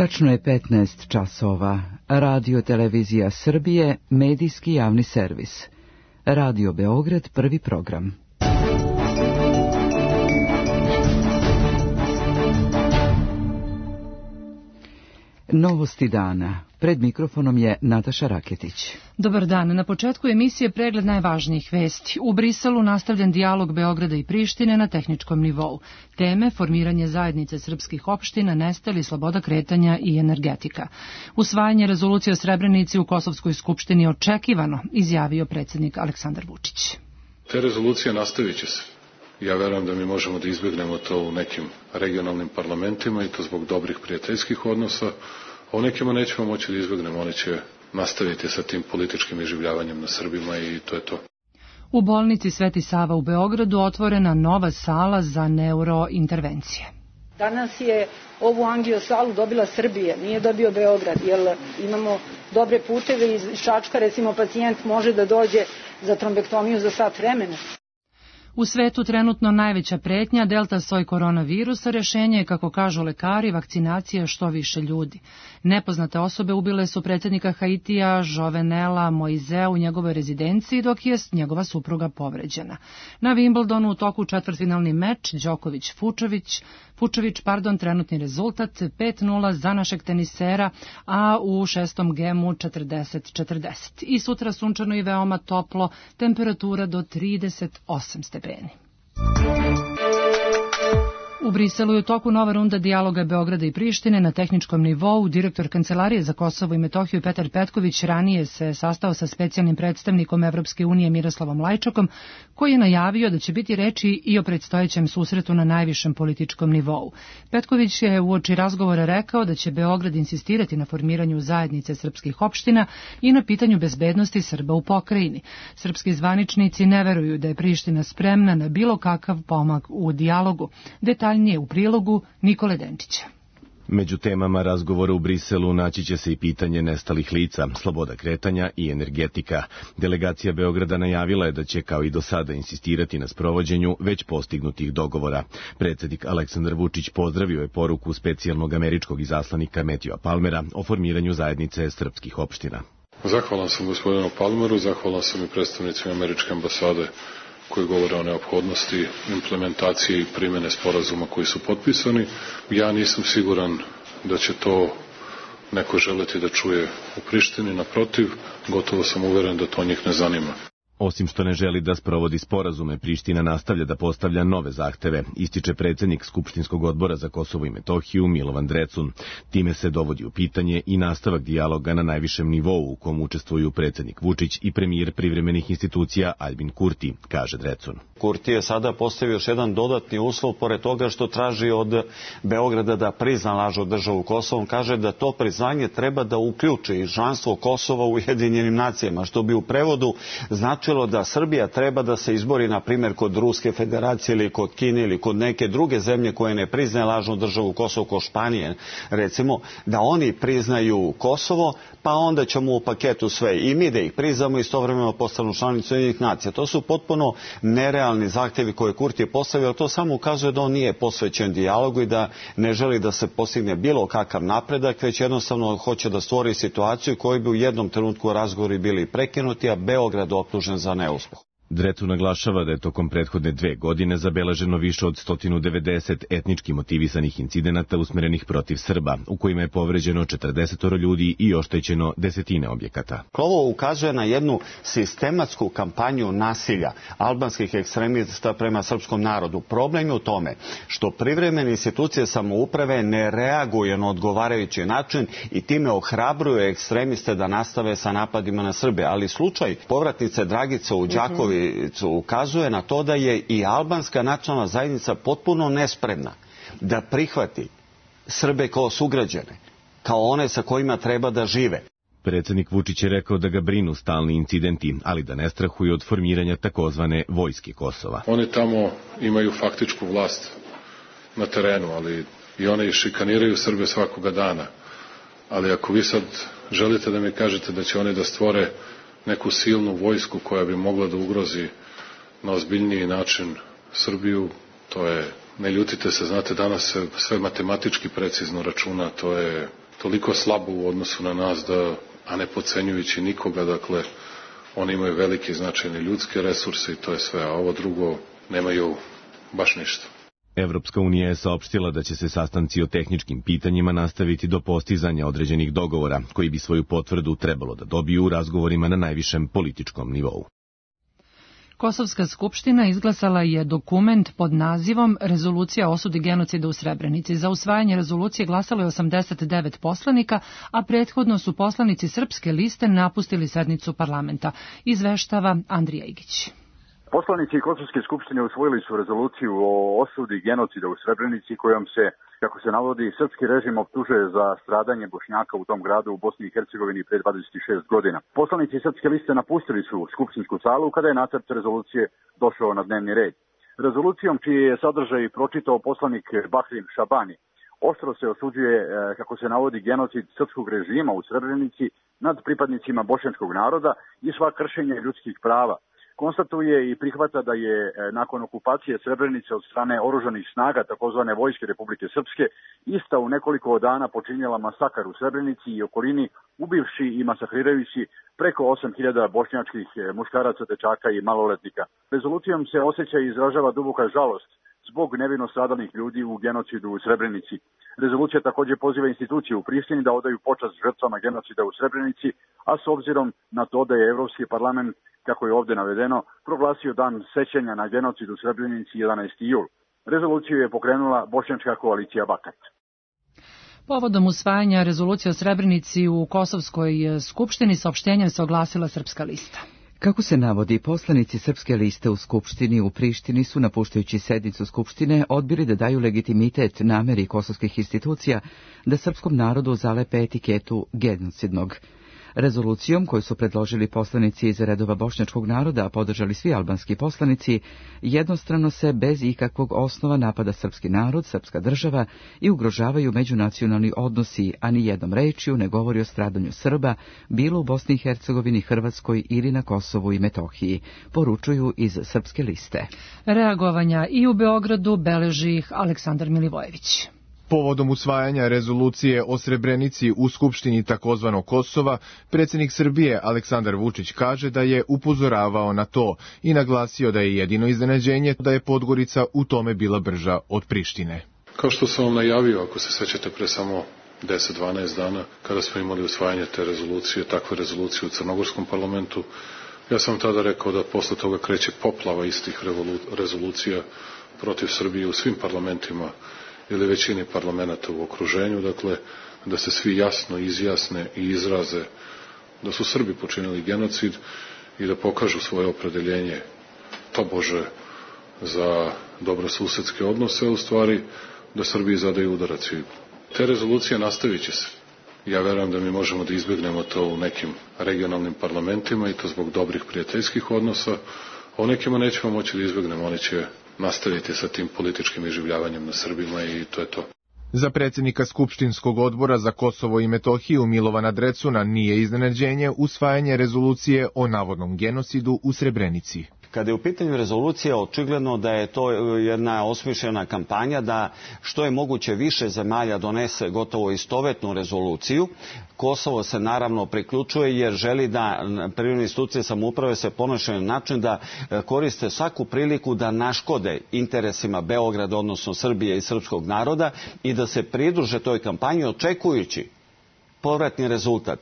Tačno je 15 časova. Radio Televizija Srbije, medijski javni servis. Radio Beograd, prvi program. Novosti dana. Pred mikrofonom je Nataša Raketić. Dobar dan. Na početku emisije pregled najvažnijih vesti. U Briselu nastavljen dijalog Beograda i Prištine na tehničkom nivou. Teme: formiranje zajednice srpskih opština, nestali, sloboda kretanja i energetika. Usvajanje rezolucije o Srebrenici u Kosovskoj skupštini očekivano, izjavio predsjednik Aleksandar Vučić. Te rezolucije nastavit će se. Ja verujem da mi možemo da izbjegnemo to u nekim regionalnim parlamentima i to zbog dobrih prijateljskih odnosa, a u nekima nećemo moći da izbjegnemo, oni će nastaviti sa tim političkim iživljavanjem na Srbima i to je to. U bolnici Sveti Sava u Beogradu otvorena nova sala za neurointervencije. Danas je ovu angiosalu dobila Srbija, nije dobio Beograd, jer imamo dobre puteve. Iz Čačka, recimo, pacijent može da dođe za trombektomiju za sat vremena. U svetu trenutno najveća pretnja delta soj koronavirusa, rešenje je, kako kažu lekari, vakcinacija što više ljudi. Nepoznate osobe ubile su predsjednika Haitija Jovenela Moizea u njegovoj rezidenciji, dok je njegova supruga povređena. Na Wimbledonu u toku četvrtfinalni meč Fučević, trenutni rezultat 5-0 za našeg tenisera, a u šestom gemu 40-40. I sutra sunčano i veoma toplo, temperatura do 38 stepeni. U Briselu je u toku nova runda dijaloga Beograda i Prištine na tehničkom nivou. Direktor Kancelarije za Kosovo i Metohiju Petar Petković ranije se sastao sa specijalnim predstavnikom Evropske unije Miroslavom Lajčakom, koji je najavio da će biti reči i o predstojećem susretu na najvišem političkom nivou. Petković je uoči razgovora rekao da će Beograd insistirati na formiranju zajednice srpskih opština i na pitanju bezbednosti Srba u pokrajini. Srpski zvaničnici ne veruju da je Priština spremna na bilo kakav pomak u dijalogu. Detaljnije u prilogu Nikole Denčića. Među temama razgovora u Briselu naći će se i pitanje nestalih lica, sloboda kretanja i energetika. Delegacija Beograda najavila je da će kao i do sada insistirati na sprovođenju već postignutih dogovora. Predsjednik Aleksandar Vučić pozdravio je poruku specijalnog američkog izaslanika Matthewa Palmera o formiranju zajednice srpskih opština. Zahvalan sam gospodinu Palmeru, zahvalan sam i predstavnicima američke ambasade koji govore o neophodnosti implementacije i primjene sporazuma koji su potpisani. Ja nisam siguran da će to neko želeti da čuje u Prištini, naprotiv, gotovo sam uveren da to njih ne zanima. Osim što ne želi da sprovodi sporazume, Priština nastavlja da postavlja nove zahteve, ističe predsjednik Skupštinskog odbora za Kosovo i Metohiju Milovan Drecun. Time se dovodi u pitanje i nastavak dijaloga na najvišem nivou u kom učestvuju predsjednik Vučić i premijer privremenih institucija Aljbin Kurti, kaže Drecun. Kurti je sada postavio još jedan dodatni uslov, pored toga što traži od Beograda da prizna lažnu državu Kosovo. On kaže da to priznanje treba da uključi i članstvo Kosova u Ujedinjenim nacijama, što bi u prevodu značilo da Srbija treba da se izbori, na primjer, kod Ruske federacije ili kod Kine ili kod neke druge zemlje koje ne priznaje lažnu državu Kosovo, kao Španije, recimo, da oni priznaju Kosovo, pa onda ćemo u paketu sve i mi da ih priznamo i istovremeno postanu članicu Ujedinjenih nacija. To su potpuno nerealni zahtjevi koje Kurti je postavio, to samo ukazuje da on nije posvećen dijalogu i da ne želi da se postigne bilo kakav napredak, već jednostavno hoće da stvori situaciju koju bi u jednom trenutku razgovori bili prekinuti, a Beograd optužen za neuspeh. Drecun naglašava da je tokom prethodne 2 godine zabeleženo više od 190 etnički motivisanih incidenata usmerenih protiv Srba, u kojima je povređeno 40 ljudi i oštećeno desetine objekata. Ovo ukazuje na jednu sistematsku kampanju nasilja albanskih ekstremista prema srpskom narodu. Problem je u tome što privremene institucije samouprave ne reaguju na odgovarajući način i time ohrabruju ekstremiste da nastave sa napadima na Srbe. Ali slučaj povratnice Dragice u Đakovi ukazuje na to da je i albanska nacionalna zajednica potpuno nespremna da prihvati Srbe kao sugrađane, kao one sa kojima treba da žive. Predsjednik Vučić je rekao da ga brinu stalni incidenti, ali da ne strahuje od formiranja takozvane vojske Kosova. Oni tamo imaju faktičku vlast na terenu, ali i one šikaniraju Srbe svakoga dana. Ali ako vi sad želite da mi kažete da će oni da stvore neku silnu vojsku koja bi mogla da ugrozi na ozbiljniji način Srbiju, to je, ne ljutite se, znate, danas se sve matematički precizno računa, to toliko slabo u odnosu na nas da, a ne podcenjujući nikoga, dakle, oni imaju velike značajne ljudske resurse i to je sve, a ovo drugo nemaju baš ništa. Evropska unija je saopštila da će se sastanci o tehničkim pitanjima nastaviti do postizanja određenih dogovora, koji bi svoju potvrdu trebalo da dobiju u razgovorima na najvišem političkom nivou. Kosovska skupština izglasala je dokument pod nazivom Rezolucija o osudi genocida u Srebrenici. Za usvajanje rezolucije glasalo je 89 poslanika, a prethodno su poslanici Srpske liste napustili sednicu parlamenta. Izveštava Andrija Igić. Poslanici Kosovske skupštine usvojili su rezoluciju o osudi genocida u Srebrenici kojom se, kako se navodi, srpski režim optužuje za stradanje Bošnjaka u tom gradu u Bosni i Hercegovini pre 26 godina. Poslanici Srpske liste napustili su skupštinsku salu kada je nacrt rezolucije došao na dnevni red. Rezolucijom čiji je sadržaj pročitao poslanik Bahrim Šabani, oštro se osuđuje, kako se navodi, genocid srpskog režima u Srebrenici nad pripadnicima bošnjačkog naroda i sva kršenja ljudskih prava. Konstatuje i prihvata da je nakon okupacije Srebrenice od strane oružanih snaga takozvane Vojske Republike Srpske ista u nekoliko dana počinjela masakar u Srebrenici i okolini, ubivši i masakrirajući preko 8.000 bošnjačkih muškaraca, dečaka i maloletnika. Rezolucijom se osjeća i izražava duboka žalost zbog nevino stradalih ljudi u genocidu u Srebrenici. Rezolucija također poziva institucije u Prištini da odaju počast žrtvama genocida u Srebrenici, a s obzirom na to da je Evropski parlament, kako je ovdje navedeno, proglasio dan sećanja na genocid u Srebrenici 11. jul. Rezoluciju je pokrenula bošnjačka koalicija Bakat. Povodom usvajanja rezolucije o Srebrenici u Kosovskoj skupštini saopštenjem se oglasila Srpska lista. Kako se navodi, poslanici Srpske liste u Skupštini u Prištini su, napuštajući sednicu Skupštine, odbili da daju legitimitet nameri kosovskih institucija da srpskom narodu zalepe etiketu genocidnog. Rezolucijom koju su predložili poslanici iz redova bošnjačkog naroda, a podržali svi albanski poslanici, jednostrano se bez ikakvog osnova napada srpski narod, srpska država i ugrožavaju međunacionalni odnosi, a ni jednom rečju ne govori o stradanju Srba, bilo u Bosni i Hercegovini, Hrvatskoj ili na Kosovu i Metohiji, poručuju iz Srpske liste. Reagovanja i u Beogradu beleži ih Aleksandar Milivojević. Povodom usvajanja rezolucije o Srebrenici u Skupštini takozvanog Kosova, predsjednik Srbije Aleksandar Vučić kaže da je upozoravao na to i naglasio da je jedino iznenađenje da je Podgorica u tome bila brža od Prištine. Kao što sam vam najavio, ako se sećate, pre samo 10-12 dana, kada smo imali usvajanje te rezolucije, takve rezolucije u Crnogorskom parlamentu, ja sam tada rekao da posle toga kreće poplava istih rezolucija protiv Srbije u svim parlamentima ili većini parlamenta u okruženju, dakle, da se svi jasno izjasne i izraze da su Srbi počinili genocid i da pokažu svoje opredeljenje tobože za dobrosusedske odnose, u stvari da Srbiji zadaju udarac. I te rezolucije nastavit će se. Ja verujem da mi možemo da izbjegnemo to u nekim regionalnim parlamentima i to zbog dobrih prijateljskih odnosa, a u nekima nećemo moći da izbjegnemo, oni će nastaviti sa tim političkim iživljavanjem na Srbima i to je to. Za predsjednika Skupštinskog odbora za Kosovo i Metohiju Milovana Drecuna nije iznenađenje usvajanje rezolucije o navodnom genocidu u Srebrenici. Kada je u pitanju rezolucija, očigledno da je to jedna osmišljena kampanja da što je moguće više zemalja donese gotovo istovetnu rezoluciju. Kosovo se naravno priključuje jer želi da privredne institucije samouprave se ponašaju na način da koriste svaku priliku da naškode interesima Beograda, odnosno Srbije i srpskog naroda i da se pridruže toj kampanji očekujući povratni rezultat,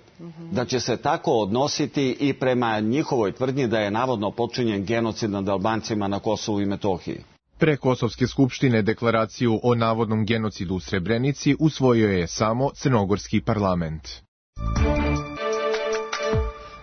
da će se tako odnositi i prema njihovoj tvrdnji da je navodno počinjen genocid nad Albancima na Kosovu i Metohiji. Pre Kosovske skupštine deklaraciju o navodnom genocidu u Srebrenici usvojio je samo Crnogorski parlament.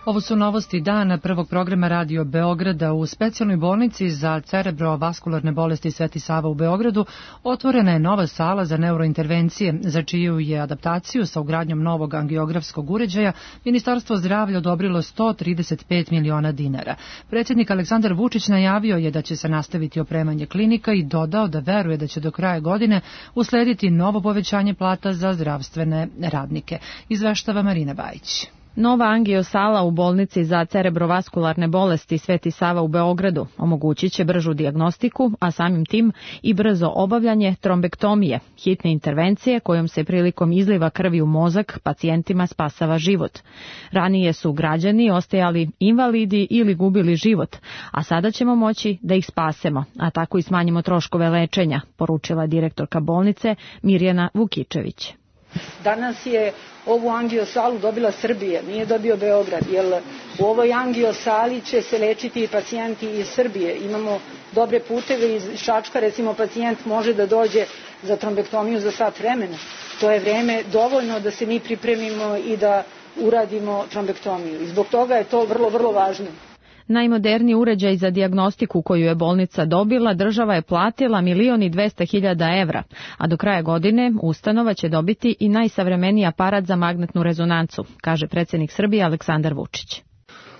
Ovo su novosti dana prvog programa Radio Beograda. U specijalnoj bolnici za cerebrovaskularne bolesti Sveti Sava u Beogradu otvorena je nova sala za neurointervencije, za čiju je adaptaciju sa ugradnjom novog angiografskog uređaja Ministarstvo zdravlja odobrilo 135 miliona dinara. Predsjednik Aleksandar Vučić najavio je da će se nastaviti opremanje klinika i dodao da veruje da će do kraja godine uslediti novo povećanje plata za zdravstvene radnike. Izveštava Marina Bajić. Nova angiosala u bolnici za cerebrovaskularne bolesti Sveti Sava u Beogradu omogućit će bržu dijagnostiku, a samim tim i brzo obavljanje trombektomije, hitne intervencije kojom se prilikom izliva krvi u mozak pacijentima spasava život. Ranije su građani ostajali invalidi ili gubili život, a sada ćemo moći da ih spasemo, a tako i smanjimo troškove lečenja, poručila direktorka bolnice Mirjana Vukičević. Danas je ovu angiosalu dobila Srbija, nije dobio Beograd, jer u ovoj angiosali će se lečiti i pacijenti iz Srbije. Imamo dobre puteve iz Čačka, recimo pacijent može da dođe za trombektomiju za sat vremena. To je vreme dovoljno da se mi pripremimo i da uradimo trombektomiju. I zbog toga je to vrlo, vrlo važno. Najmoderniji uređaj za dijagnostiku koju je bolnica dobila država je platila 1.200.000 evra, a do kraja godine ustanova će dobiti i najsavremeniji aparat za magnetnu rezonancu, kaže predsjednik Srbije Aleksandar Vučić.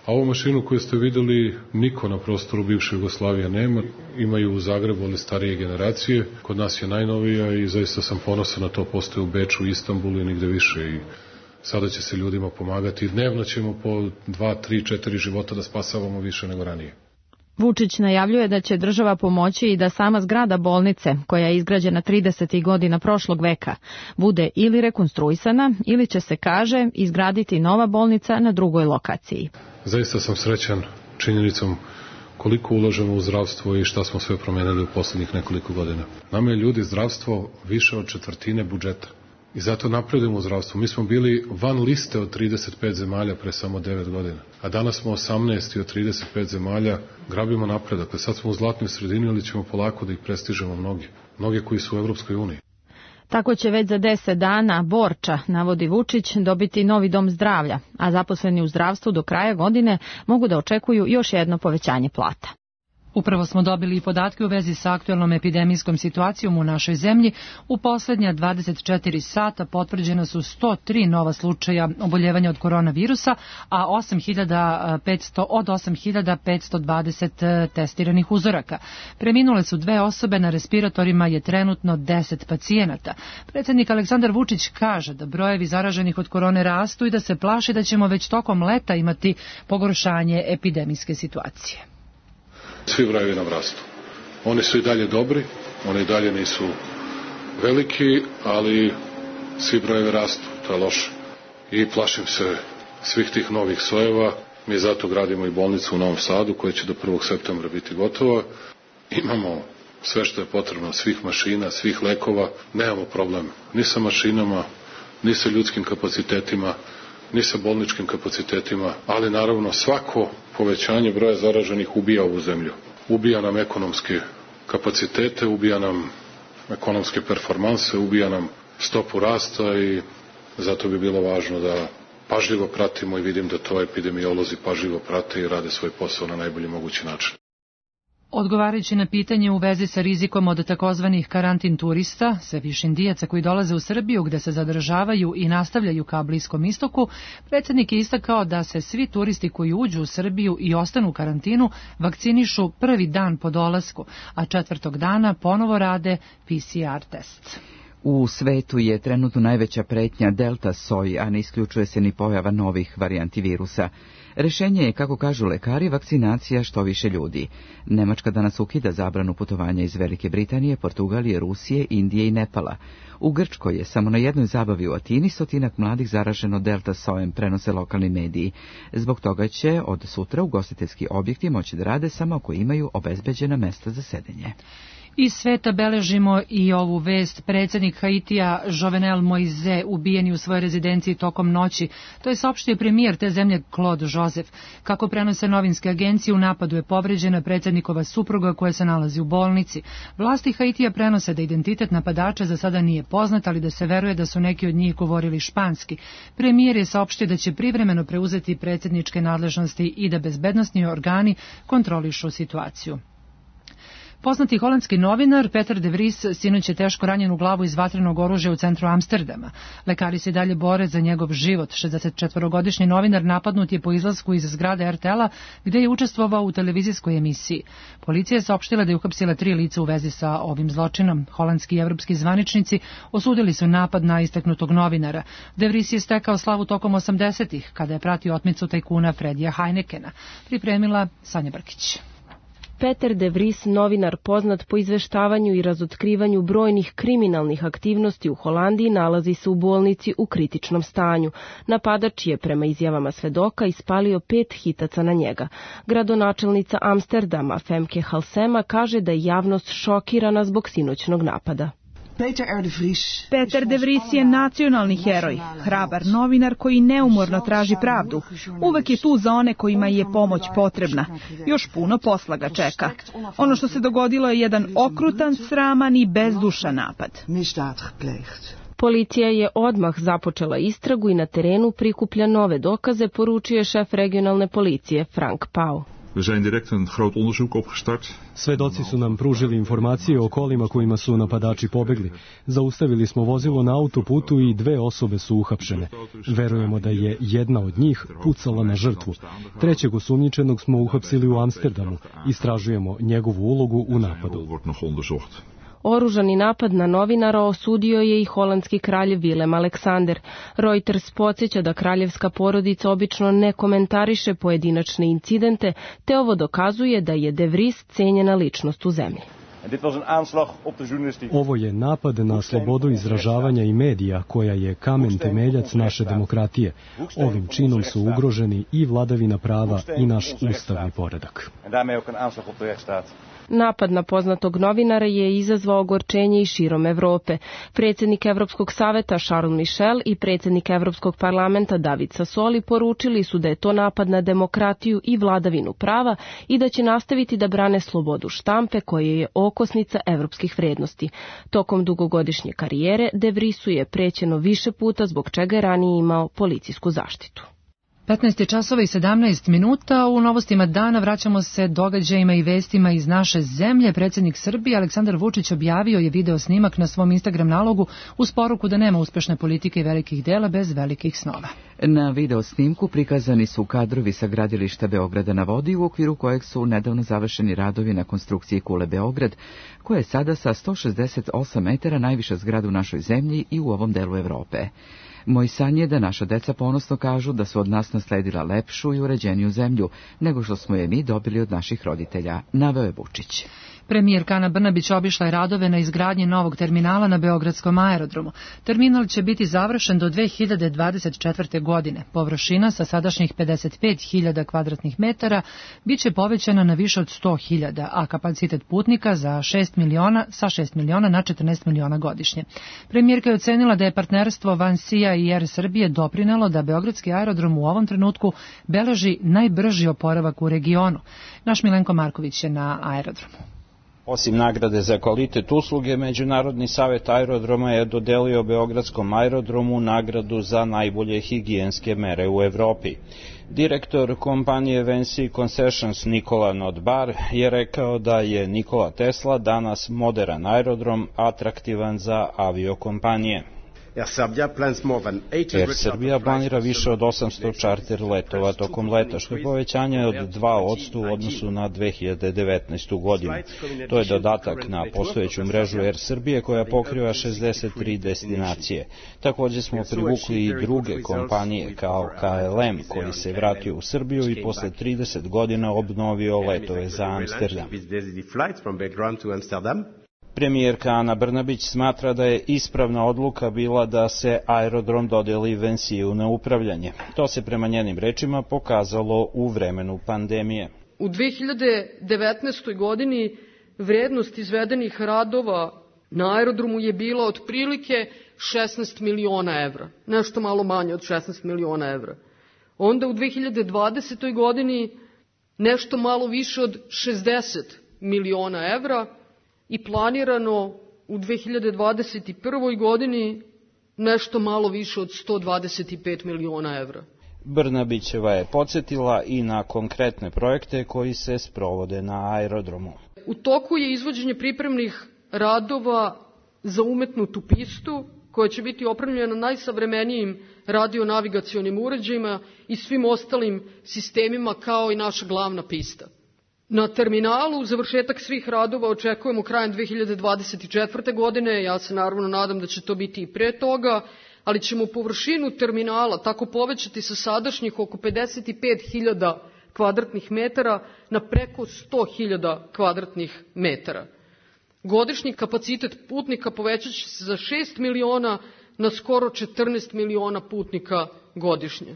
A ovu mašinu koju ste videli niko na prostoru bivše Jugoslavije nema, imaju u Zagrebu, ali starije generacije, kod nas je najnovija i zaista sam ponosan na to, postoje u Beču, Istanbulu i nigde više i sada će se ljudima pomagati. Dnevno ćemo po 2, 3, 4 života da spasavamo više nego ranije. Vučić najavljuje da će država pomoći i da sama zgrada bolnice, koja je izgrađena 30. godina prošlog veka, bude ili rekonstruisana ili će se, kaže, izgraditi nova bolnica na drugoj lokaciji. Zaista sam srećan činjenicom koliko ulažemo u zdravstvo i šta smo sve promenili u poslednjih nekoliko godina. Nama je ljudi zdravstvo više od četvrtine budžeta. I zato napredujemo u zdravstvu. Mi smo bili van liste od 35 zemalja pre samo 9 godina. A danas smo 18 od 35 zemalja, grabimo napredak. Sad smo u zlatnoj sredini, ali ćemo polako da ih prestižemo mnogi. Mnogi koji su u Evropskoj uniji. Tako će već za 10 dana Borča, navodi Vučić, dobiti novi dom zdravlja, a zaposleni u zdravstvu do kraja godine mogu da očekuju još jedno povećanje plata. Upravo smo dobili i podatke u vezi sa aktuelnom epidemijskom situacijom u našoj zemlji. U poslednja 24 sata potvrđena su 103 nova slučaja oboljevanja od koronavirusa, a od 8.520 testiranih uzoraka. Preminule su 2 osobe, na respiratorima je trenutno 10 pacijenata. Predsjednik Aleksandar Vučić kaže da brojevi zaraženih od korone rastu i da se plaši da ćemo već tokom leta imati pogoršanje epidemijske situacije. Svi brojevi nam rastu. Oni su i dalje dobri, oni i dalje nisu veliki, ali svi brojevi rastu, to je loše. I plašim se svih tih novih sojeva. Mi zato gradimo i bolnicu u Novom Sadu koja će do 1. septembra biti gotova. Imamo sve što je potrebno, svih mašina, svih lekova. Nemamo problem ni sa mašinama, ni sa ljudskim kapacitetima, ni sa bolničkim kapacitetima, ali naravno svako povećanje broja zaraženih ubija ovu zemlju. Ubija nam ekonomske kapacitete, ubija nam ekonomske performanse, ubija nam stopu rasta i zato bi bilo važno da pažljivo pratimo i vidim da to epidemiolozi pažljivo prate i rade svoj posao na najbolji mogući način. Odgovarajući na pitanje u vezi sa rizikom od takozvanih karantin turista, sve više Indijaca koji dolaze u Srbiju gde se zadržavaju i nastavljaju ka Bliskom istoku, predsjednik je istakao da se svi turisti koji uđu u Srbiju i ostanu u karantinu vakcinišu prvi dan po dolasku, a 4. dana ponovo rade PCR test. U svetu je trenutno najveća pretnja delta soj, a ne isključuje se ni pojava novih varijanti virusa. Rešenje je, kako kažu lekari, vakcinacija što više ljudi. Nemačka danas ukida zabranu putovanja iz Velike Britanije, Portugalije, Rusije, Indije i Nepala. U Grčkoj je samo na jednoj zabavi u Atini 100 mladih zaraženo delta sojem, prenose lokalni mediji. Zbog toga će od sutra ugostiteljski objekti moći da rade samo ako imaju obezbeđena mesta za sedenje. Iz sveta beležimo i ovu vest. Predsjednik Haitija Jovenel Moise ubijen je u svojoj rezidenciji tokom noći. To je saopštio premijer te zemlje Claude Joseph. Kako prenose novinske agencije, u napadu je povređena predsjednikova supruga koja se nalazi u bolnici. Vlasti Haitija prenose da identitet napadača za sada nije poznat, ali da se veruje da su neki od njih govorili španski. Premijer je saopštio da će privremeno preuzeti predsjedničke nadležnosti i da bezbednosni organi kontrolišu situaciju. Poznati holandski novinar Peter de Vries sinoć je teško ranjen u glavu iz vatrenog oružja u centru Amsterdama. Lekari se dalje bore za njegov život. 64-godišnji novinar napadnut je po izlasku iz zgrade RTL-a gde je učestvovao u televizijskoj emisiji. Policija je saopštila da je uhapsila 3 lica u vezi sa ovim zločinom. Holandski i evropski zvaničnici osudili su napad na istaknutog novinara. De Vries je stekao slavu tokom 80-ih, kada je pratio otmicu tajkuna Fredija Heinekena. Pripremila Sanja Brkić. Peter de Vries, novinar poznat po izveštavanju i razotkrivanju brojnih kriminalnih aktivnosti u Holandiji, nalazi se u bolnici u kritičnom stanju. Napadač je, prema izjavama svedoka, ispalio 5 hitaca na njega. Gradonačelnica Amsterdama, Femke Halsema, kaže da je javnost šokirana zbog sinoćnog napada. Peter de Vries je nacionalni heroj, hrabar novinar koji neumorno traži pravdu. Uvek je tu za one kojima je pomoć potrebna. Još puno posla ga čeka. Ono što se dogodilo je jedan okrutan, sraman i bezdušan napad. Policija je odmah započela istragu i na terenu prikuplja nove dokaze, poručio je šef regionalne policije Frank Pauw. We zijn direct een groot onderzoek opgestart. Svedoci su nam pružili informacije o kolima kojima su napadači pobegli. Zaustavili smo vozilo na autoputu i 2 osobe su uhapšene. Verujemo da je jedna od njih pucala na žrtvu. 3. osumnjičenog smo uhapsili u Amsterdamu. Istražujemo njegovu ulogu u napadu. Oružani napad na novinara osudio je i holandski kralj Willem Alexander. Reuters podsjeća da kraljevska porodica obično ne komentariše pojedinačne incidente, te ovo dokazuje da je de Vries cenjena ličnost u zemlji. Ovo je napad na slobodu izražavanja i medija, koja je kamen temeljac naše demokratije. Ovim činom su ugroženi i vladavina prava i naš ustavni poredak. Napad na poznatog novinara je izazvao ogorčenje i širom Evrope. Predsjednik Evropskog saveta Charles Michel i predsjednik Evropskog parlamenta David Sassoli poručili su da je to napad na demokratiju i vladavinu prava i da će nastaviti da brane slobodu štampe, koja je okosnica evropskih vrednosti. Tokom dugogodišnje karijere de Vriesu je prećeno više puta, zbog čega je ranije imao policijsku zaštitu. 15 časova i 17 minuta. U novostima dana vraćamo se događajima i vestima iz naše zemlje. Predsjednik Srbije Aleksandar Vučić objavio je video snimak na svom Instagram nalogu uz poruku da nema uspešne politike i velikih dela bez velikih snova. Na video snimku prikazani su kadrovi sa gradilišta Beograda na vodi, u okviru kojeg su nedavno završeni radovi na konstrukciji kule Beograd, koja je sada sa 168 metara najviša zgrada u našoj zemlji i u ovom delu Evrope. Moj san je da naša deca ponosno kažu da su od nas nasledila lepšu i uređeniju zemlju nego što smo je mi dobili od naših roditelja, naveo je Vučić. Premijerka Ana Brnabić obišla je radove na izgradnji novog terminala na Beogradskom aerodromu. Terminal će biti završen do 2024. godine. Površina sa sadašnjih 55.000 kvadratnih metara biće povećana na više od 100.000, a kapacitet putnika sa 6 miliona na 14 miliona godišnje. Premijerka je ocenila da je partnerstvo Vansija i Air Srbije doprinelo da Beogradski aerodrom u ovom trenutku beleži najbrži oporavak u regionu. Naš Milenko Marković je na aerodromu. Osim nagrade za kvalitet usluge, Međunarodni savet aerodroma je dodelio Beogradskom aerodromu nagradu za najbolje higijenske mere u Evropi. Direktor kompanije VNC Concessions Nikola Nodbar je rekao da je Nikola Tesla danas modern aerodrom, atraktivan za aviokompanije. Air Srbija planira više od 800 čarter letova tokom leta, što je povećanje od 2% u odnosu na 2019. godinu. To je dodatak na postojeću mrežu Air Srbije koja pokriva 63 destinacije. Također smo privukli i druge kompanije kao KLM, koji se vratio u Srbiju i posle 30 godina obnovio letove za Amsterdam. Premijerka Ana Brnabić smatra da je ispravna odluka bila da se aerodrom dodeli Vansiju na upravljanje. To se prema njenim rečima pokazalo u vremenu pandemije. U 2019. godini vrednost izvedenih radova na aerodromu je bila otprilike 16 miliona evra, nešto malo manje od 16 miliona evra. Onda u 2020. godini nešto malo više od 60 miliona evra, i planirano u 2021. godini nešto malo više od 125 miliona evra. Brnabićeva je podsjetila i na konkretne projekte koji se sprovode na aerodromu. U toku je izvođenje pripremnih radova za umetnutu pistu, koja će biti opremljena najsavremenijim radionavigacionim uređajima i svim ostalim sistemima kao i naša glavna pista. Na terminalu završetak svih radova očekujemo krajem 2024. godine, ja se naravno nadam da će to biti i pre toga, ali ćemo površinu terminala tako povećati sa sadašnjih oko 55.000 kvadratnih metara na preko 100.000 kvadratnih metara. Godišnji kapacitet putnika povećat će se za 6 miliona na skoro 14 miliona putnika godišnje.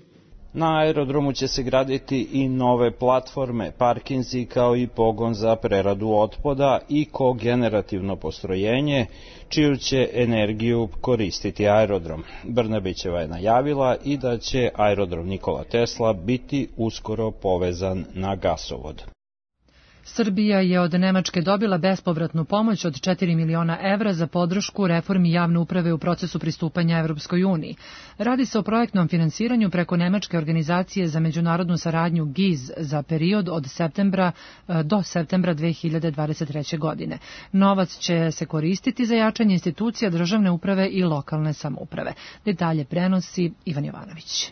Na aerodromu će se graditi i nove platforme, parkinzi kao i pogon za preradu otpada i kogenerativno postrojenje, čiju će energiju koristiti aerodrom. Brnabićeva je najavila i da će aerodrom Nikola Tesla biti uskoro povezan na gasovod. Srbija je od Nemačke dobila bespovratnu pomoć od 4 miliona evra za podršku reformi javne uprave u procesu pristupanja Evropskoj uniji. Radi se o projektnom finansiranju preko Nemačke organizacije za međunarodnu saradnju GIZ za period od septembra do septembra 2023. godine. Novac će se koristiti za jačanje institucija državne uprave i lokalne samouprave. Detalje prenosi Ivan Jovanović.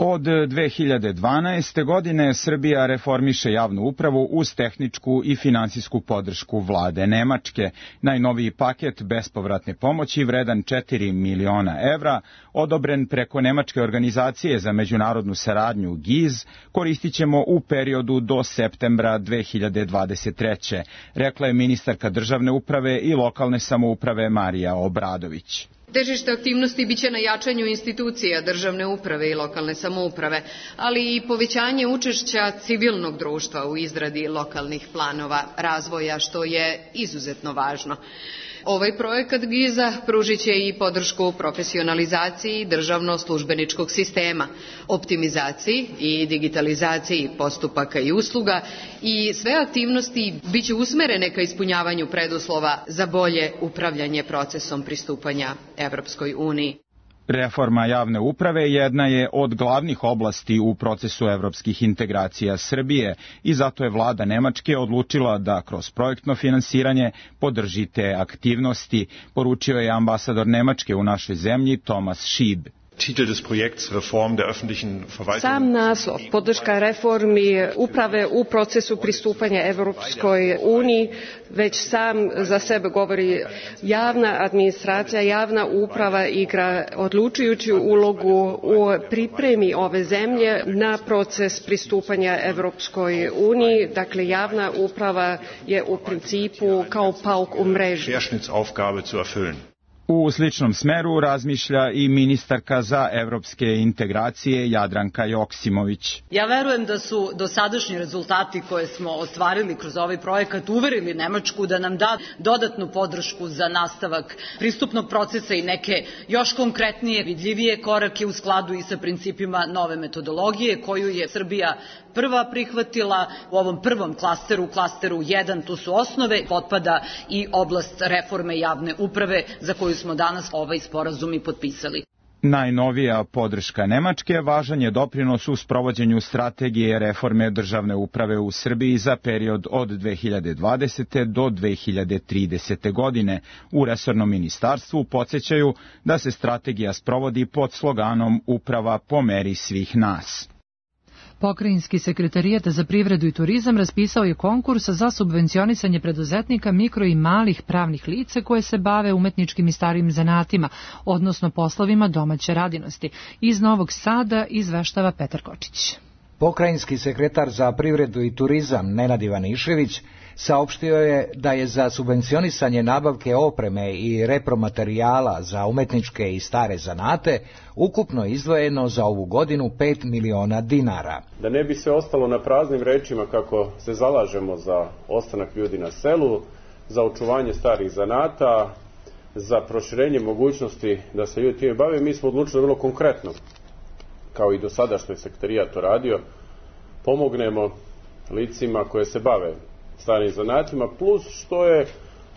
Od 2012. godine Srbija reformiše javnu upravu uz tehničku i finansijsku podršku vlade Nemačke. Najnoviji paket bespovratne pomoći vredan 4 miliona evra, odobren preko Nemačke organizacije za međunarodnu saradnju GIZ, koristit ćemo u periodu do septembra 2023. Rekla je ministarka državne uprave i lokalne samouprave Marija Obradović. Težište aktivnosti biće na jačanju institucija državne uprave i lokalne samouprave, ali i povećanje učešća civilnog društva u izradi lokalnih planova razvoja, što je izuzetno važno. Ovaj projekat GIZ-a pružit će i podršku profesionalizaciji državno-službeničkog sistema, optimizaciji i digitalizaciji postupaka i usluga i sve aktivnosti biće usmerene ka ispunjavanju preduslova za bolje upravljanje procesom pristupanja Evropskoj uniji. Reforma javne uprave jedna je od glavnih oblasti u procesu evropskih integracija Srbije i zato je vlada Nemačke odlučila da kroz projektno finansiranje podrži te aktivnosti, poručio je ambasador Nemačke u našoj zemlji Thomas Schieb. Sam naslov, podrška reformi uprave u procesu pristupanja Evropskoj uniji, već sam za sebe govori. Javna administracija, javna uprava igra odlučujuću ulogu u pripremi ove zemlje na proces pristupanja Evropskoj uniji. Dakle, javna uprava je u principu kao pauk u mreži. U sličnom smeru razmišlja i ministarka za evropske integracije Jadranka Joksimović. Ja verujem da su dosadašnji rezultati koje smo ostvarili kroz ovaj projekat uverili Nemačku da nam da dodatnu podršku za nastavak pristupnog procesa i neke još konkretnije, vidljivije korake u skladu i sa principima nove metodologije koju je Srbija prva prihvatila u ovom prvom klasteru, klasteru 1, tu su osnove, potpada i oblast reforme javne uprave za koju smo danas ovaj sporazum i potpisali. Najnovija podrška Nemačke važan je doprinos u sprovođenju strategije reforme državne uprave u Srbiji za period od 2020. do 2030. godine. U resornom ministarstvu podsjećaju da se strategija sprovodi pod sloganom Uprava po meri svih nas. Pokrajinski sekretarijat za privredu i turizam raspisao je konkurs za subvencionisanje preduzetnika, mikro i malih pravnih lica koje se bave umetničkim i starim zanatima, odnosno poslovima domaće radinosti. Iz Novog Sada izveštava Petar Kočić. Pokrajinski sekretar za privredu i turizam Nenad Ivanišević saopštio je da je za subvencionisanje nabavke opreme i repromaterijala za umetničke i stare zanate ukupno izdvojeno za ovu godinu 5 miliona dinara. Da ne bi se ostalo na praznim rečima kako se zalažemo za ostanak ljudi na selu, za očuvanje starih zanata, za proširenje mogućnosti da se ljudi time bave, mi smo odlučili vrlo konkretno, kao i do sada što je sekretarijat to radio, pomognemo licima koje se bave starim zanatima, plus što je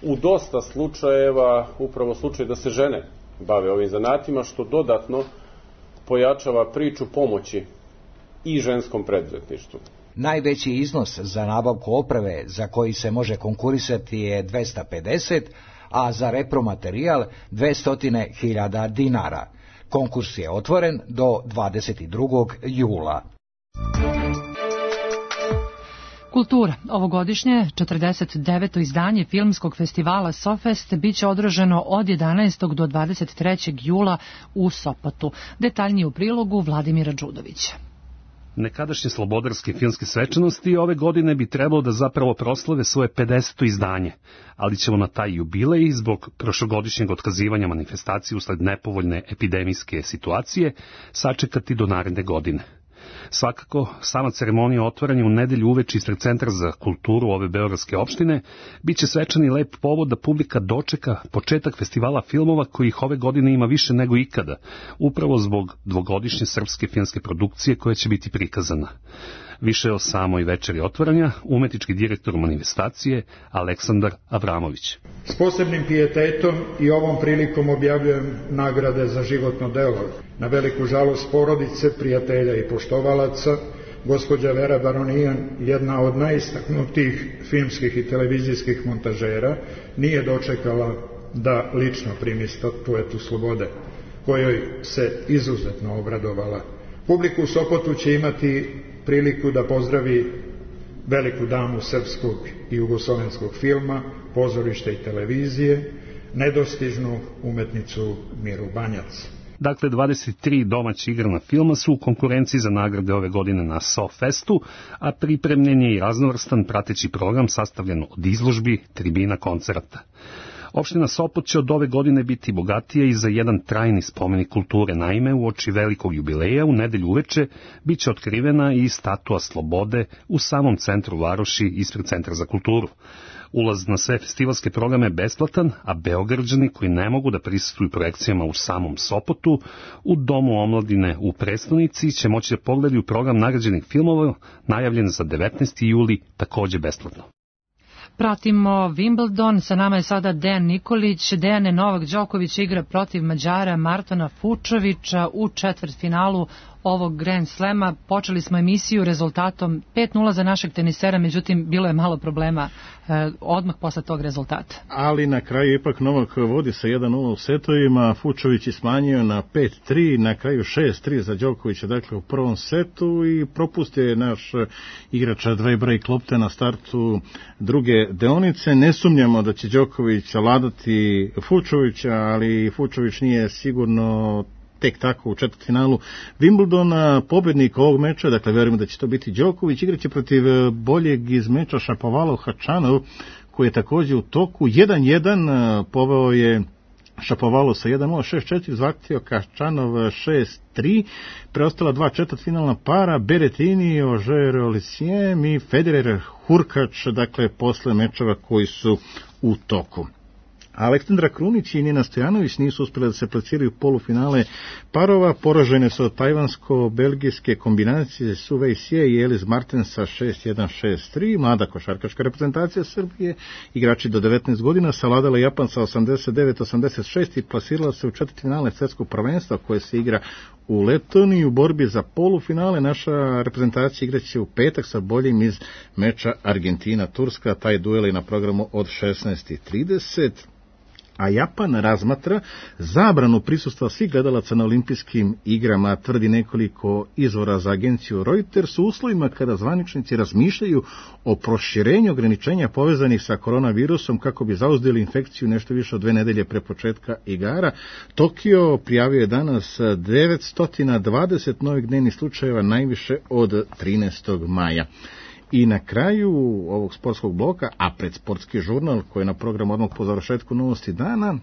u dosta slučajeva upravo slučaj da se žene bave ovim zanatima, što dodatno pojačava priču pomoći i ženskom preduzetništvu. Najveći iznos za nabavku opreme za koji se može konkurisati je 250, a za repromaterijal 200.000 dinara. Konkurs je otvoren do 22. jula. Kultura. Ovogodišnje 49. izdanje filmskog festivala SOFest biće održano od 11. do 23. jula u Sopotu. Detaljnije u prilogu Vladimira Đudovića. Nekadašnje slobodarske filmske svečanosti ove godine bi trebalo da zapravo proslave svoje 50. izdanje, ali ćemo na taj jubilej zbog prošlogodišnjeg otkazivanja manifestacije usled nepovoljne epidemijske situacije sačekati do naredne godine. Svakako, sama ceremonija otvaranja u nedelju uveče ispred Centra za kulturu ove beogradske opštine biće svečani lep povod da publika dočeka početak festivala filmova kojih ove godine ima više nego ikada, upravo zbog dvogodišnje srpske filmske produkcije koja će biti prikazana. Više o samoj večeri otvaranja umetnički direktor manifestacije Aleksandar Avramović. S posebnim pijetetom i ovom prilikom objavljujem nagrade za životno delo. Na veliku žalost porodice, prijatelja i poštovalaca, gospođa Vera Baronijan, jedna od najistaknutijih filmskih i televizijskih montažera, nije dočekala da lično primi statuetu slobode, kojoj se izuzetno obradovala. Publiku u Sopotu će imati priliku da pozdravi veliku damu srpskog i jugoslovenskog filma, pozorišta i televizije, nedostižnu umetnicu Miru Banjac. Dakle, 23 domaća igrana filma su u konkurenciji za nagrade ove godine na SOFestu, a pripremljen je i raznovrstan prateći program sastavljen od izložbi, tribina, koncerata. Opština Sopot će od ove godine biti bogatija i za jedan trajni spomenik kulture. Naime, uoči velikog jubileja u nedelju uveče biće otkrivena i statua slobode u samom centru varoši ispred Centra za kulturu. Ulaz na sve festivalske programe je besplatan, a Beograđani koji ne mogu da prisustvuju projekcijama u samom Sopotu, u Domu omladine u prestonici će moći da pogledaju program nagrađenih filmova najavljen za 19. juli takođe besplatno. Pratimo Wimbledon, sa nama je sada Dejan Nikolić. Dejane, Novak Đoković igra protiv Mađara Martona Fučovića u četvrtfinalu ovog Grand Slema. Počeli smo emisiju rezultatom 5-0 za našeg tenisera, međutim bilo je malo problema odmah posle tog rezultata. Ali na kraju ipak Novak vodi sa 1-0 u setovima, Fučović je smanjio na 5-3, na kraju 6-3 za Đokovića, dakle u prvom setu, i propustio je naš igrač Dvejbrej Klopte na startu druge deonice. Ne sumnjamo da će Đoković savladati Fučovića, ali Fučović nije sigurno tek tako u četvrtfinalu Wimbledona. Pobednik ovog meča, dakle verujemo da će to biti Đoković, igraće protiv boljeg iz meča Šapovalov Hačanov, koji je takođe u toku. 1-1 poveo je Šapovalov sa 1-0, 6-4 zahtio Hačanov 6-3. Preostala dva četvrtfinalna para, Berettini, Ožer Olisiem i Federer Hurkač, dakle posle mečeva koji su u toku. Aleksandra Krunić i Nina Stojanović nisu uspjeli da se plasiraju u polufinale parova. Poražene su od tajvansko-belgijske kombinacije Su Wei Xie i Elis Martensa 6-1, 6-3. Mlada košarkaška reprezentacija Srbije, igrači do 19 godina, savladala Japan sa 89-86 i plasirala se u četvrtfinale svetskog prvenstva koje se igra u Letoniji. U borbi za polufinale naša reprezentacija igraće u petak sa boljim iz meča Argentina-Turska. Taj duel je na programu od 16:30. A Japan razmatra zabranu prisustva svih gledalaca na olimpijskim igrama, tvrdi nekoliko izvora za agenciju Reuters, u uslovima kada zvaničnici razmišljaju o proširenju ograničenja povezanih sa koronavirusom kako bi zauzdali infekciju nešto više od 2 nedelje pre početka igara. Tokio prijavio je danas 920 novih dnevnih slučajeva, najviše od 13. maja. I na kraju ovog sportskog bloka, a pred sportski žurnal koji je na programu odmah po završetku novosti dana,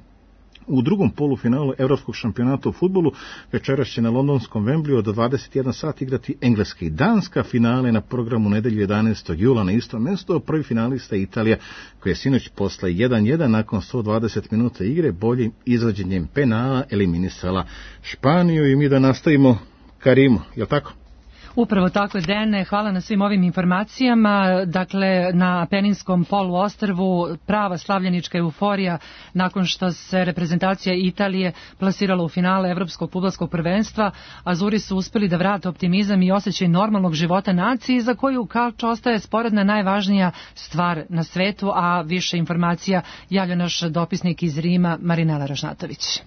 u drugom polufinalu Evropskog šampionata u fudbalu večeras će na londonskom Wembleyu od 21 sat igrati Engleska i Danska. Finale na programu nedelju 11. jula na istom mestu. Prvi finalista je Italija, koja je sinoć posle 1-1 nakon 120 minuta igre boljim izvođenjem penala eliminisala Španiju. I mi da nastavimo Karimu, je li tako? Upravo tako je, Dene, hvala na svim ovim informacijama. Dakle, na Apeninskom poluostrvu prava slavljenička euforija nakon što se reprezentacija Italije plasirala u finale Evropskog fudbalskog prvenstva. Azuri su uspeli da vrate optimizam i osjećaj normalnog života naciji, za koju kalč ostaje sporedna najvažnija stvar na svetu, a više informacija javlja naš dopisnik iz Rima, Marinela Ražnatović.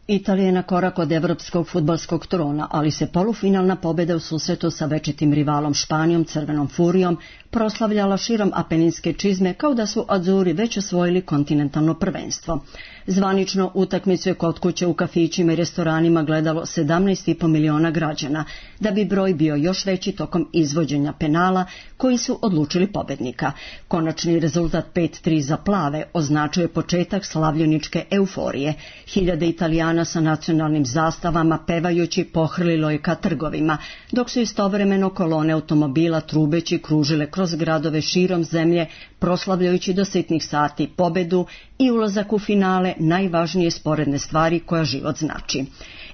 Italija je na korak od evropskog fudbalskog trona, ali se polufinalna pobjeda u susretu sa večitim rivalom Španijom, Crvenom furijom, proslavljala širom apeninske čizme kao da su Azuri već osvojili kontinentalno prvenstvo. Zvanično utakmicu je kod kuće u kafićima i restoranima gledalo 17,5 miliona građana, da bi broj bio još veći tokom izvođenja penala koji su odlučili pobednika. Konačni rezultat 5-3 za plave označuje početak slavljeničke euforije. Hiljade Italijana sa nacionalnim zastavama pevajući pohrlilo je ka trgovima, dok su istovremeno kolone automobila trubeći kružile kroz gradove širom zemlje, proslavljajući do sitnih sati pobedu i ulazak u finale najvažnije sporedne stvari koja život znači.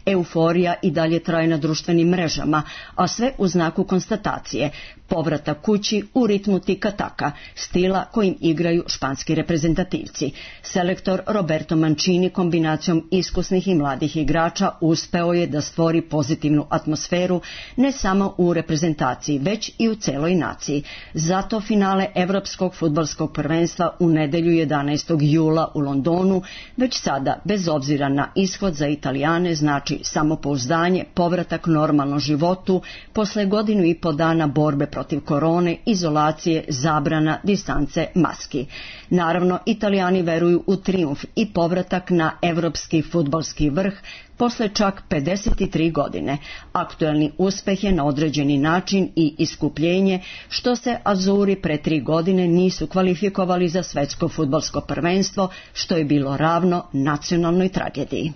Euforija i dalje traje na društvenim mrežama, a sve u znaku konstatacije, povratak kući u ritmu tika-taka, stila kojim igraju španski reprezentativci. Selektor Roberto Mancini kombinacijom iskusnih i mladih igrača uspeo je da stvori pozitivnu atmosferu ne samo u reprezentaciji, već i u celoj naciji. Zato finale Evropskog fudbalskog prvenstva u nedelju 11. jula u Londonu već sada, bez obzira na ishod za Italijane, znači samopouzdanje, povratak normalnom životu posle 1,5 godina borbe protiv korone, izolacije, zabrana, distance, maski. Naravno, Italijani veruju u trijumf i povratak na evropski fudbalski vrh posle čak 53 godine. Aktuelni uspeh je na određeni način i iskupljenje što se Azuri pre 3 godine nisu kvalifikovali za svetsko fudbalsko prvenstvo, što je bilo ravno nacionalnoj tragediji.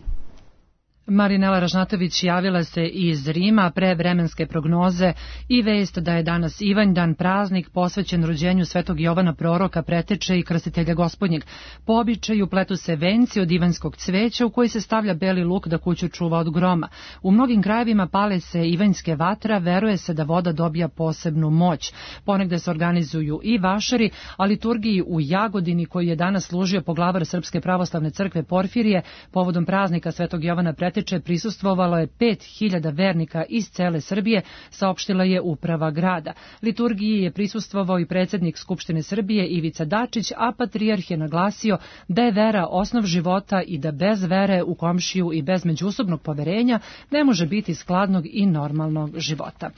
Marinela Ražnatović javila se iz Rima pre vremenske prognoze i vest da je danas Ivanjdan, praznik posvećen rođenju Svetog Jovana Proroka, preteče i krstitelja Gospodnjeg. Po običaju pletu se venci od ivanjskog cveća u koji se stavlja beli luk da kuću čuva od groma. U mnogim krajevima pale se ivanjske vatra, veruje se da voda dobija posebnu moć. Ponegde se organizuju i vašari, a liturgiji u Jagodini, koji je danas služio poglavar Srpske pravoslavne crkve Porfirije, povodom praznika Svetog Jovana preteče, prisustvovalo je 5.000 vernika iz cele Srbije, saopštila je uprava grada. Liturgiji je prisustvovao i predsjednik Skupštine Srbije Ivica Dačić, a patrijarh je naglasio da je vera osnov života i da bez vere u komšiju i bez međusobnog poverenja ne može biti skladnog i normalnog života.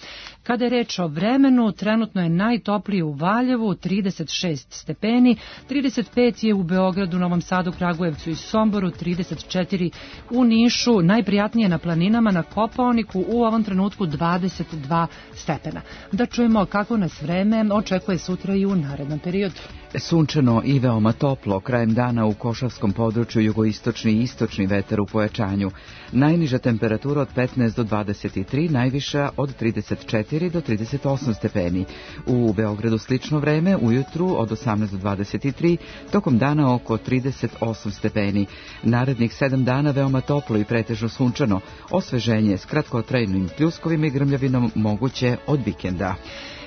Kada je reč o vremenu, trenutno je najtoplije u Valjevu, 36 stepeni, 35 je u Beogradu, Novom Sadu, Kragujevcu i Somboru, 34 u Nišu, najprijatnije na planinama, na Kopaoniku u ovom trenutku 22 stepena. Da čujemo kako nas vreme očekuje sutra i u narednom periodu. Sunčano i veoma toplo, krajem dana u Košavskom području jugoistočni i istočni vetar u pojačanju. Najniža temperatura od 15 do 23, najviša od 34 do 38 stepeni. U Beogradu slično vreme, ujutru od 18 do 23, tokom dana oko 38 stepeni. Narednih 7 dana veoma toplo i pretežno sunčano, osveženje s kratkotrajnim pljuskovima i grmljavinom moguće od vikenda.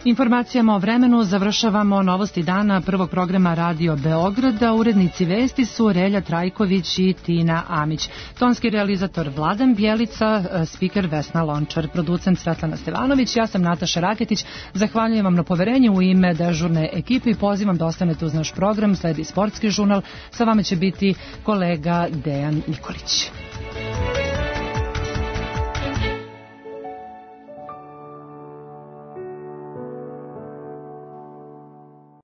Informacijama o vremenu završavamo novosti dana prvog programa Radio Beograda. Urednici vesti su Relja Trajković i Tina Amić. Tonski realizator Vladan Bjelica, spiker Vesna Lončar, producent Svetlana Stevanović, ja sam Nataša Raketić. Zahvaljujem vam na poverenju u ime dežurne ekipe i pozivam da ostanete uz naš program. Sledi sportski žurnal. Sa vama će biti kolega Dejan Nikolić.